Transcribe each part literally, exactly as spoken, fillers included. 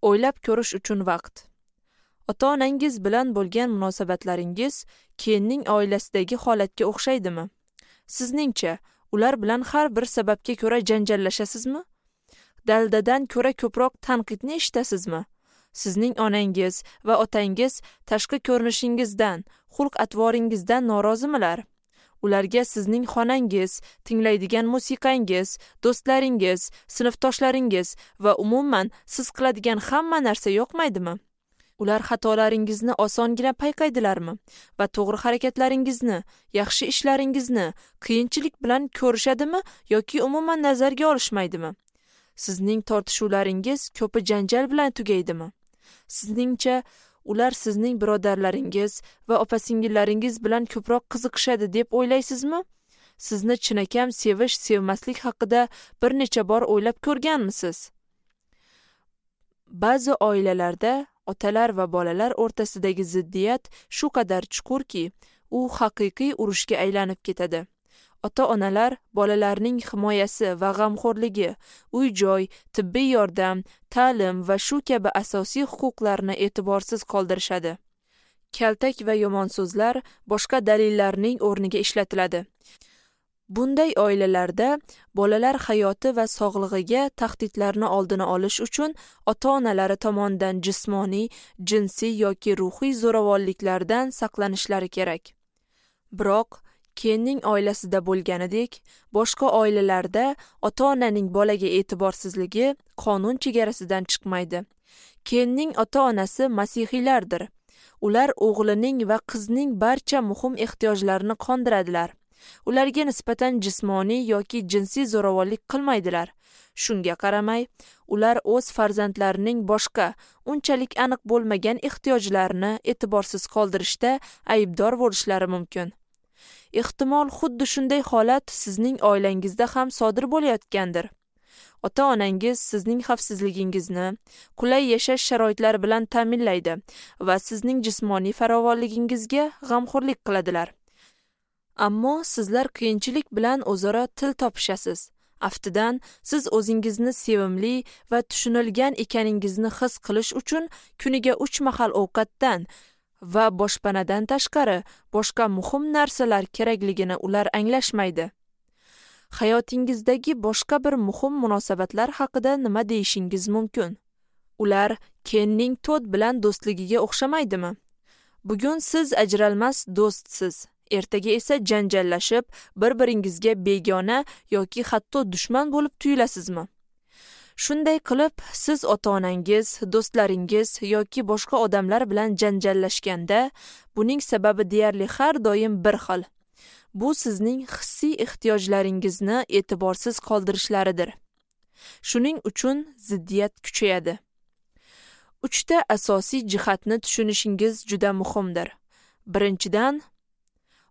O'ylab ko'rish uchun vaqt. Ota-onangiz bilan bo'lgan munosabatlaringiz Kenning oilasidagi holatga o'xshaydimi? Sizningcha, ular bilan har bir sababga ko'ra janjallashasizmi? Daldadan ko'ra ko'proq tanqidni eshitasizmi? Sizning onangiz va otangiz tashqi ko'rinishingizdan, xulq-atvoringizdan norozimilar? Ularga sizning xonangiz, tinglaydigan musiqangiz, do'stlaringiz, sinfdoshlaringiz va umuman siz qiladigan hamma narsa yoqmaydimi? Ular xatolaringizni osongina payqaydilarmi va to'g'ri harakatlaringizni, yaxshi ishlaringizni qiyinchilik bilan ko'rishadimi yoki umuman nazarga olishmaydimi? Sizning tortishuvlaringiz ko'pi janjal bilan tugaydimi? Sizningcha, ular sizning birodarlaringiz va opa-singillaringiz bilan ko'proq qiziqishadi deb o'ylaysizmi? Sizni chinakam sevish, sevmaslik haqida bir necha bor o'ylab ko'rganmisiz? Ba'zi oilalarda otalar va bolalar o'rtasidagi ziddiyat shu qadar chuqurki, u haqiqiy urushga aylanib ketadi. Ota-onalar bolalarning himoyasi va g'amxo'rligi, uy-joy, tibbiy yordam, ta'lim va shu kabi asosiy huquqlarni e'tiborsiz qoldirishadi. Kaltak va yomon so'zlar boshqa dalillarning o'rniga ishlatiladi. Bunday oilalarda bolalar hayoti va sog'lig'iga tahdidlarni oldini olish uchun ota-onalari tomonidan jismoniy, jinsiy yoki ruhiy zo'ravonliklardan saqlanishlari kerak. Biroq Kenning oilasida bo'lganidek, boshqa oilalarda ota-onaning bolaga e'tiborsizligi qonun chegarasidan chiqmaydi. Kenning ota-onasi masihiylardir. Ular o'g'lining va qizning barcha muhim ehtiyojlarini qondiradilar. Ularga nisbatan jismoniy yoki jinsiy zo'ravonlik qilmaydilar. Shunga qaramay, ular o'z farzandlarining boshqa, unchalik aniq bo'lmagan ehtiyojlarini e'tiborsiz qoldirishda aybdor bo'lishlari mumkin. Ehtimol xuddi shunday holat sizning oilangizda ham sodir bo'layotgandir. Ota-onangiz sizning xavfsizligingizni qulay yashash sharoitlari bilan ta'minlaydi va sizning jismoniy farovonligingizga g'amxo'rlik qiladilar. Ammo sizlar qiyinchilik bilan o'zaro til topishasiz. Aftidan, siz o'zingizni sevimli va tushunilgan ekaningizni his qilish uchun kuniga uch mahal ovqatdan va boshpanadan tashqari boshqa muhim narsalar kerakligini ular anglashmaydi. Hayotingizdagi boshqa bir muhim munosabatlar haqida nima deyishingiz mumkin? Ular Kenning Todd bilan do'stligiga o'xshamaydimi? Bugun siz ajralmas do'stsiz, ertaga esa janjallashib, bir-biringizga begona yoki hatto dushman bo'lib tuyilasizmi? Shunday qilib, siz ota-onangiz, do'stlaringiz yoki boshqa odamlar bilan janjallashganda, buning sababi deyarli har doim bir xil. Bu sizning hissiy ehtiyojlaringizni e'tiborsiz qoldirishlaridir. Shuning uchun ziddiyat kuchayadi. Uchta asosiy jihatni tushunishingiz juda muhimdir. Birinchidan,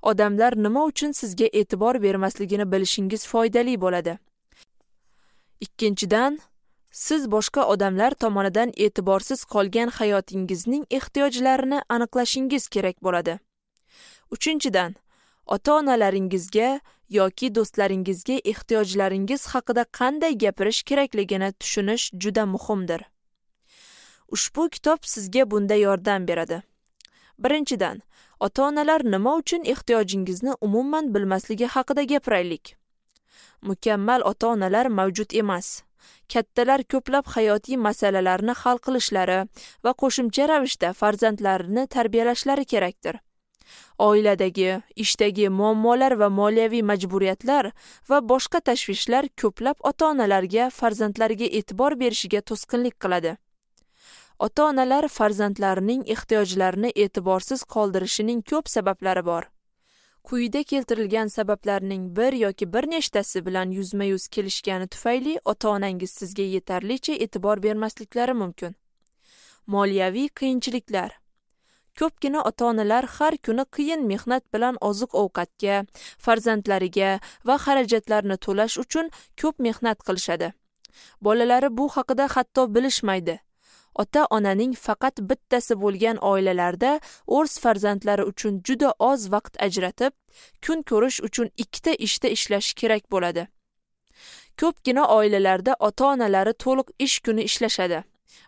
odamlar nima uchun sizga e'tibor bermasligini bilishingiz foydali bo'ladi. Ikkinchidan, siz boshqa odamlar tomonidan e'tiborsiz qolgan hayotingizning ehtiyojlarini aniqlashingiz kerak bo'ladi. Uchinchidan, ota-onalaringizga yoki do'stlaringizga ehtiyojlaringiz haqida qanday gapirish kerakligini tushunish juda muhimdir. Ushbu kitob sizga bunda yordam beradi. Birinchidan, ota-onalar nima uchun ehtiyojingizni umuman bilmasligi haqida gapiraylik. Mukammal ota-onalar mavjud emas. Kattalar ko'plab hayotiy masalalarni hal qilishlari va qo'shimcha ravishda farzandlarini tarbiyalashlari kerakdir. Oiladagi, ishdagi muammolar va moliyaviy majburiyatlar va boshqa tashvishlar ko'plab ota-onalarga farzandlariga e'tibor berishiga to'sqinlik qiladi. Ota-onalar farzandlarining ehtiyojlarini e'tiborsiz qoldirishining ko'p sabablari bor. Quyida keltirilgan sabablarning bir yoki bir nechtasi bilan yuzma-yuz kelishgani tufayli ota-onangiz sizga yetarlicha e'tibor bermasliklari mumkin. Moliyaviy qiyinchiliklar. Ko'pgina ota-onalar har kuni qiyin mehnat bilan oziq-ovqatga, farzandlariga va xarajatlarni to'lash uchun ko'p mehnat qilishadi. Bolalari bu haqida hatto bilishmaydi. Ota-onaning faqat bittasi bo'lgan oilalarda o'z farzandlari uchun juda oz vaqt ajratib, kun ko'rish uchun ikkita ishda ishlash kerak bo'ladi. Ko'pgina oilalarda ota-onalari to'liq ish kuni ishlashadi.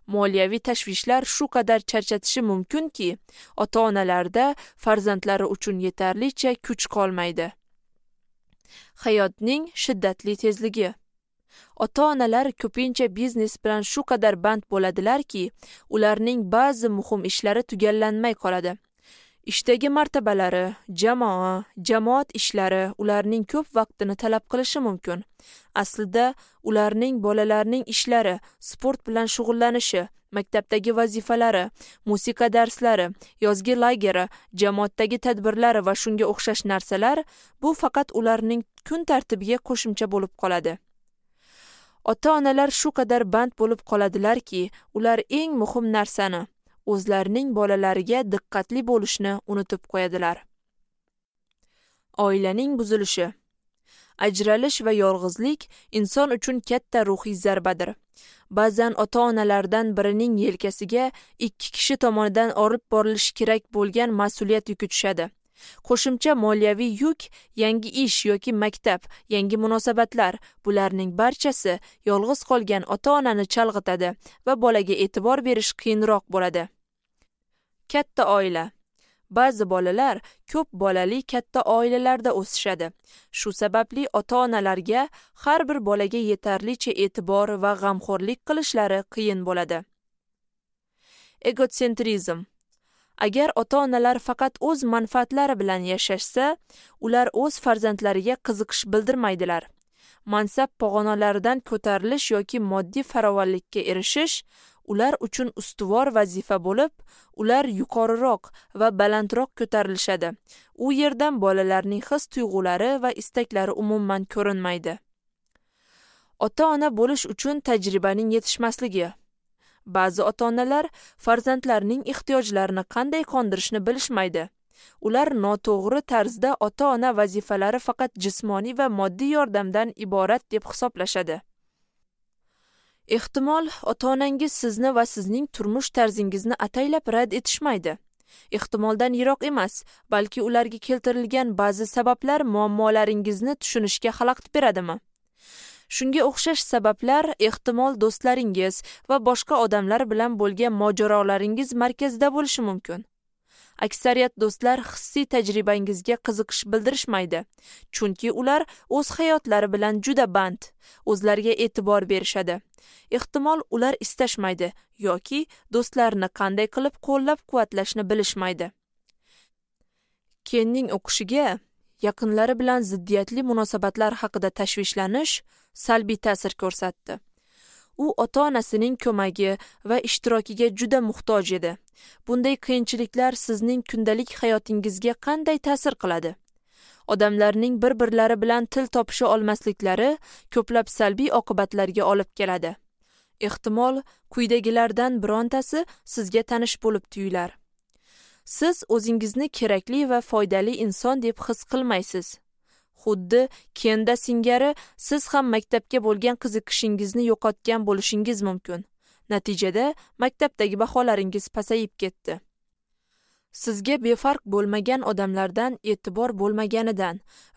Moliyaviy tashvishlar shu qadar charchatishi mumkinki, ota-onalarda farzandlari uchun yetarlicha kuch qolmaydi. Hayotning shiddatli tezligi. Ota-onalar ko'pincha biznes bilan shu qadar band bo'ladilarki, ularning ba'zi muhim ishlari tugallanmay qoladi. Ishdagi martabalari, jamoa, jamoat ishlari ularning ko'p vaqtini talab qilishi mumkin. Aslida ularning bolalarning ishlari, sport bilan shug'ullanishi, maktabdagi vazifalari, musiqa darslari, yozgi lageri, jamoatdagi tadbirlari va shunga o'xshash narsalar bu faqat ularning kun tartibiga qo'shimcha bo'lib qoladi. Ota-onalar shu qadar band bo'lib qoladilarki, ular eng muhim narsani, o'zlarining bolalariga diqqatli bo'lishni unutib qo'yadilar. Oilaning buzilishi. Ajralish va yolg'izlik inson uchun katta ruhiy zarbadir. Ba'zan ota-onalardan birining yelkasiga ikki kishi tomonidan olib borilishi kerak bo'lgan mas'uliyat yuki tushadi. Qo'shimcha moliyaviy yuk, yangi ish yoki maktab, yangi munosabatlar, bularning barchasi yolg'iz qolgan ota-onani chalg'itadi va bolaga e'tibor berish qiyinroq bo'ladi. Katta oila. Ba'zi bolalar ko'p bolali katta oilalarda o'sishadi. Shu sababli ota-onalarga har bir bolaga yetarlicha e'tibor va g'amxo'rlik qilishlari qiyin bo'ladi. Egosentrizm. Agar ota-onalar faqat o'z manfaatlari bilan yashashsa, ular o'z farzandlariga qiziqish bildirmaydilar. Mansab pog'onalaridan ko'tarilish yoki moddiy farovonlikka erishish ular uchun ustuvor vazifa bo'lib, ular yuqoriroq va balandroq ko'tarilishadi. U yerdan bolalarning his-tuyg'ulari va istaklari umuman ko'rinmaydi. Ota-ona bo'lish uchun tajribaning yetishmasligi. Ba'zi ota-onalar farzandlarining ehtiyojlarini qanday qondirishni bilishmaydi. Ular noto'g'ri tarzda ota-ona vazifalari faqat jismoniy va moddiy yordamdan iborat deb hisoblashadi. Ehtimol, ota-onangiz sizni va sizning turmush tarzingizni ataylab rad etishmaydi. Ehtimoldan yiroq emas, balki ularga keltirilgan ba'zi sabablar muammolaringizni tushunishga xalaqit beradimi? Shunga o'xshash sabablar ehtimol do'stlaringiz va boshqa odamlar bilan bo'lgan mojarolaringiz markazida bo'lishi mumkin. Aksariyat do'stlar hissiy tajribangizga qiziqish bildirishmaydi, chunki ular o'z hayotlari bilan juda band, o'zlariga e'tibor berishadi. Ehtimol ular istashmaydi yoki do'stlarini qanday qilib qo'llab-quvvatlashni bilishmaydi. Kenning o'qishiga yaqinlari bilan ziddiyatli munosabatlar haqida tashvishlanish salbiy ta'sir ko'rsatdi. U ota-onasining ko'magi va ishtirokiga juda muhtoj edi. Bunday qiyinchiliklar sizning kundalik hayotingizga qanday ta'sir qiladi? Odamlarning bir-birlari bilan til topisha olmasliklari ko'plab salbiy oqibatlarga olib keladi. Ehtimol, quyidagilardan birontasi sizga tanish bo'lib tuyular. Siz o'zingizni kerakli va foydali inson deb his qilmaysiz. Xuddi Kenda singari siz ham maktabga bo'lgan qiziqishingizni yo'qotgan bo'lishingiz mumkin. Natijada maktabdagi baholaringiz pasayib ketdi. Sizga befarq bo'lmagan odamlardan e'tibor bo'lmaganidan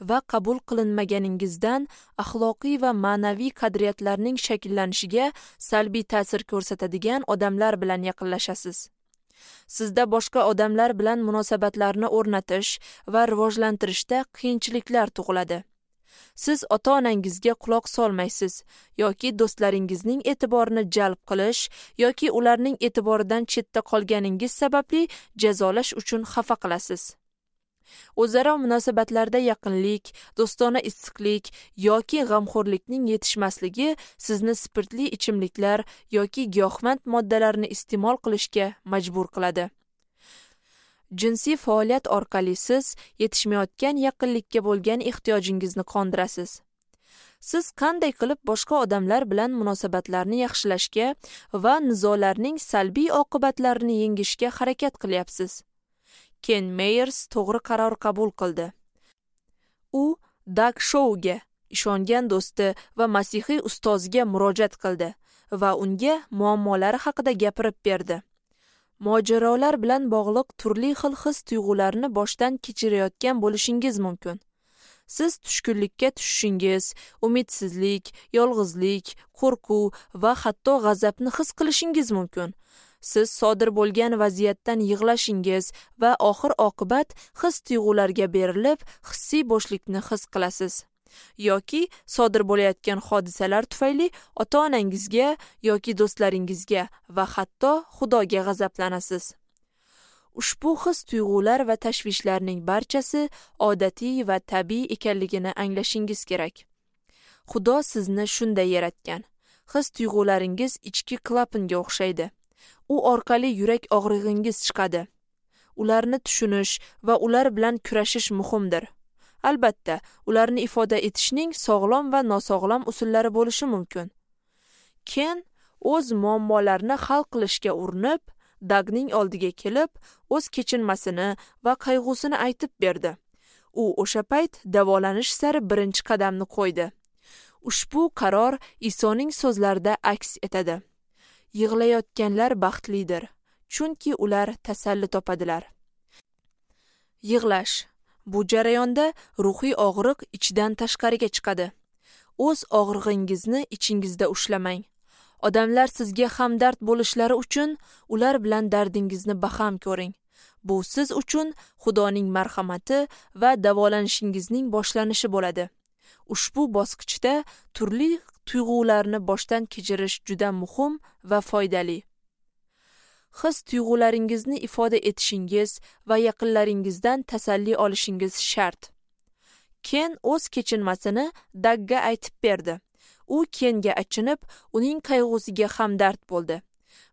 va qabul qilinmaganingizdan axloqiy va ma'naviy qadriyatlarning shakllanishiga salbiy ta'sir ko'rsatadigan odamlar bilan yaqinlashasiz. Sizda boshqa odamlar bilan munosabatlarni o'rnatish va rivojlantirishda qiyinchiliklar tug'iladi. Siz ota-onangizga quloq solmaysiz yoki do'stlaringizning e'tiborini jalb qilish yoki ularning e'tiboridan chetda qolganingiz sababli jazolash uchun xafa qilasiz. O'zaro munosabatlarda yaqinlik, do'stona issiqlik yoki g'amxo'rlikning yetishmasligi sizni spirtli ichimliklar yoki giyohvand moddalarni iste'mol qilishga majbur qiladi. Jinsiy faoliyat orqali siz yetishmayotgan yaqinlikka bo'lgan ehtiyojingizni qondirasiz. Siz qanday qilib boshqa odamlar bilan munosabatlarni yaxshilashga va nizolarning salbiy oqibatlarini yengishga harakat qilyapsiz? Ken Meyers to'g'ri qaror qabul qildi. U Dag Shouga, ishongan do'sti va masihiy ustoziga murojaat qildi va unga muammolari haqida gapirib berdi. Mojarolar bilan bog'liq turli xil his-tuyg'ularni boshdan kechirayotgan bo'lishingiz mumkin. Siz tushkunlikka tushishingiz, umidsizlik, yolg'izlik, qo'rquv va hatto g'azabni his qilishingiz mumkin. Siz sodir bo'lgan vaziyatdan yig'lashingiz va oxir-oqibat his-tuyg'ularga berilib, hissiy bo'shlikni his qilasiz. Yoki sodir bo'layotgan hodisalar tufayli ota-onangizga yoki do'stlaringizga va hatto Xudoga g'azablanasiz. Ushbu his-tuyg'ular va tashvishlarning barchasi odatiy va tabiiy ekanligini anglashingiz kerak. Xudo sizni shunday yaratgan. His-tuyg'ularingiz ichki klapanga o'xshaydi. U orqali yurak og'rig'ingiz chiqadi. Ularni tushunish va ular bilan kurashish muhimdir. Albatta, ularni ifoda etishning sog'lom va nosog'lom usullari bo'lishi mumkin. Ken o'z muammolarini hal qilishga urinib, Dagning oldiga kelib, o'z kechinmasini va qayg'usini aytib berdi. U o'sha payt davolanish sari birinchi qadamni qo'ydi. Ushbu qaror Isoning so'zlarida aks etadi. Yig'layotganlar baxtlidir, chunki ular tasalli topadilar. Yig'lash. Bu jarayonda ruhiy og'riq ichdan tashqariga chiqadi. O'z og'rig'ingizni ichingizda ushlamang. Odamlar sizga hamdard bo'lishlari uchun ular bilan dardingizni baham ko'ring. Bu siz uchun Xudoning marhamati va davolanishingizning boshlanishi bo'ladi. Ushbu bosqichda turli tuyg'ularni boshdan kechirish juda muhim va foydali. His-tuyg'ularingizni ifoda etishingiz va yaqinlaringizdan tasalli olishingiz shart. Ken o'z kechinmasini Dagga aytib berdi. U Kenga achinib, uning qayg'usiga hamdard bo'ldi.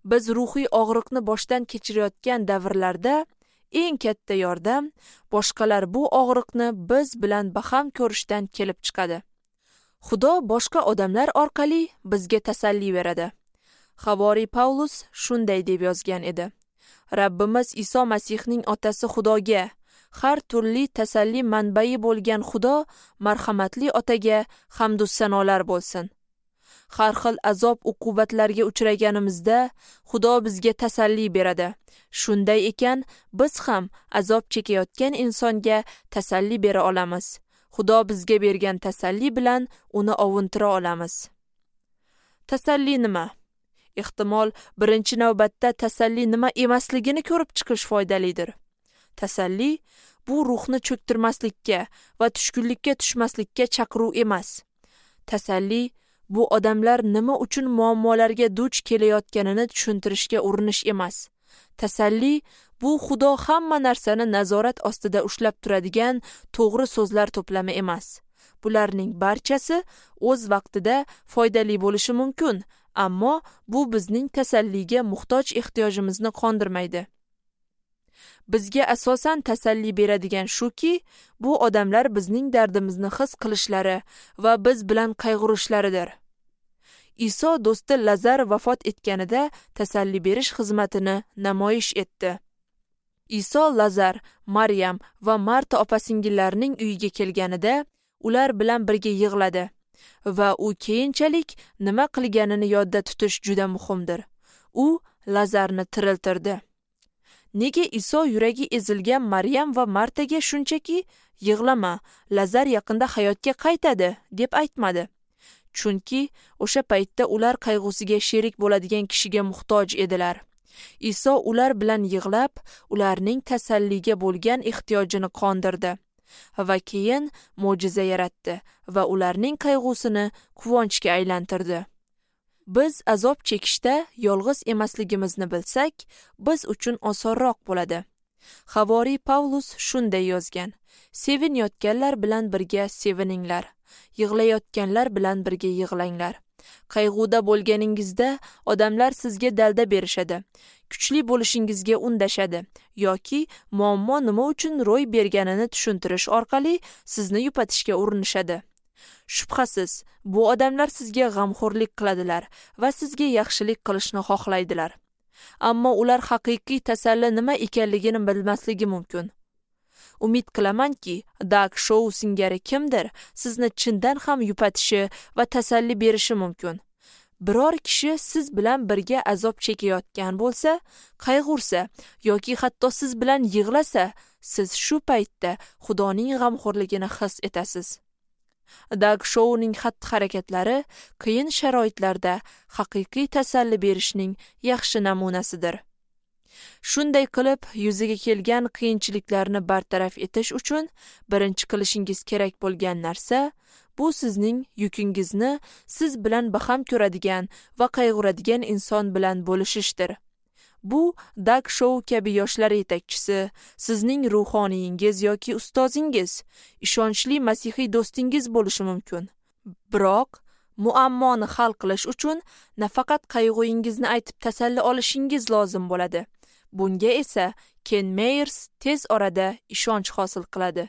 Biz ruhiy og'riqni boshdan kechirayotgan davrlarda eng katta yordam boshqalar bu og'riqni biz bilan baham ko'rishdan kelib chiqadi. Xudo boshqa odamlar orqali bizga tasalli beradi. Havoriy Pavlus shunday deb yozgan edi: Rabbimiz Iso Masihning otasi Xudoga, har turli tasalli manbai bo'lgan Xudo marhamatli otaga hamd va sanolar bo'lsin. Har xil azob uqubatlarga uchraganimizda Xudo bizga tasalli beradi. Shunday ekan, biz ham azob chekayotgan insonga tasalli bera olamiz. Xudo bizga bergan tasalli bilan uni ovuntira olamiz. Tasalli nima? Ehtimol, birinchi navbatda tasalli nima emasligini ko'rib chiqish foydalidir. Tasalli bu ruhni cho'ktirmaslikka va tushkunlikka tushmaslikka chaqiruv emas. Tasalli bu odamlar nima uchun muammolarga duch kelayotganini tushuntirishga urinish emas. Tasalli bu Xudo hamma narsani nazorat ostida ushlab turadigan to'g'ri so'zlar to'plami emas. Bularning barchasi o'z vaqtida foydali bo'lishi mumkin, ammo bu bizning tasalliga muhtoj ehtiyojimizni qondirmaydi. Bizga asosan tasalli beradigan shuki, bu odamlar bizning dardimizni his qilishlari va biz bilan qayg'urishlaridir. Iso do'sti Lazar vafot etganida tasalli berish xizmatini namoyish etdi. Iso Lazar, Maryam va Marta opa-singillarining uyiga kelganida ular bilan birga yig'ladi va u keyinchalik nima qilganini yodda tutish juda muhimdir. U Lazarni tiriltirdi. Nega Iso yuragi ezilgan Maryam va Martaga shunchaki yig'lama, Lazar yaqinda hayotga qaytadi deb aytmadi? Chunki o'sha paytda ular qayg'usiga sherik bo'ladigan kishiga muhtoj edilar. Iso ular bilan yig'lab, ularning tasalliga bo'lgan ehtiyojini qondirdi va keyin mo'jiza yaratdi va ularning qayg'usini quvonchga aylantirdi. Biz azob chekishda yolg'iz emasligimizni bilsak, biz uchun osonroq bo'ladi. Havoriy Pavlus shunday yozgan: Sevinayotganlar bilan birga sevininglar, yig'layotganlar bilan birga yig'langlar. Qayg'uda bo'lganingizda odamlar sizga dalda berishadi, kuchli bo'lishingizga undashadi yoki muammo nima uchun ro'y berganini tushuntirish orqali sizni yupatishga urinishadi. Shubhasiz, bu odamlar sizga g'amxo'rlik qiladilar va sizga yaxshilik qilishni xohlaydilar. Ammo ular haqiqiy tasalli nima ekanligini bilmasligi mumkin. Umid qilamanki, Dag Shou singari kimdir sizni chindan ham yupatishi va tasalli berishi mumkin. Biror kishi siz bilan birga azob chekayotgan bo'lsa, qayg'ursa yoki hatto siz bilan yig'lasa, Siz shu paytda Xudoning g'amxo'rligini his etasiz. Dag Shouning xatti-harakatlari qiyin sharoitlarda haqiqiy tasalli berishning yaxshi namunasidir. Shunday qilib, yuzaga kelgan qiyinchiliklarni bartaraf etish uchun birinchi qilishingiz kerak bo'lgan narsa bu sizning yukingizni siz bilan baham ko'radigan va qayg'uradigan inson bilan bo'lishishdir. Bu Dag Shou kabi yoshlar yetakchisi, sizning ruhoniyingiz yoki ustozingiz, ishonchli masihiy do'stingiz bo'lishi mumkin. Biroq muammoni hal qilish uchun nafaqat qayg'ungizni aytib tasalli olishingiz lozim bo'ladi. Bunga esa Ken Meyers tez orada ishonch hosil qiladi.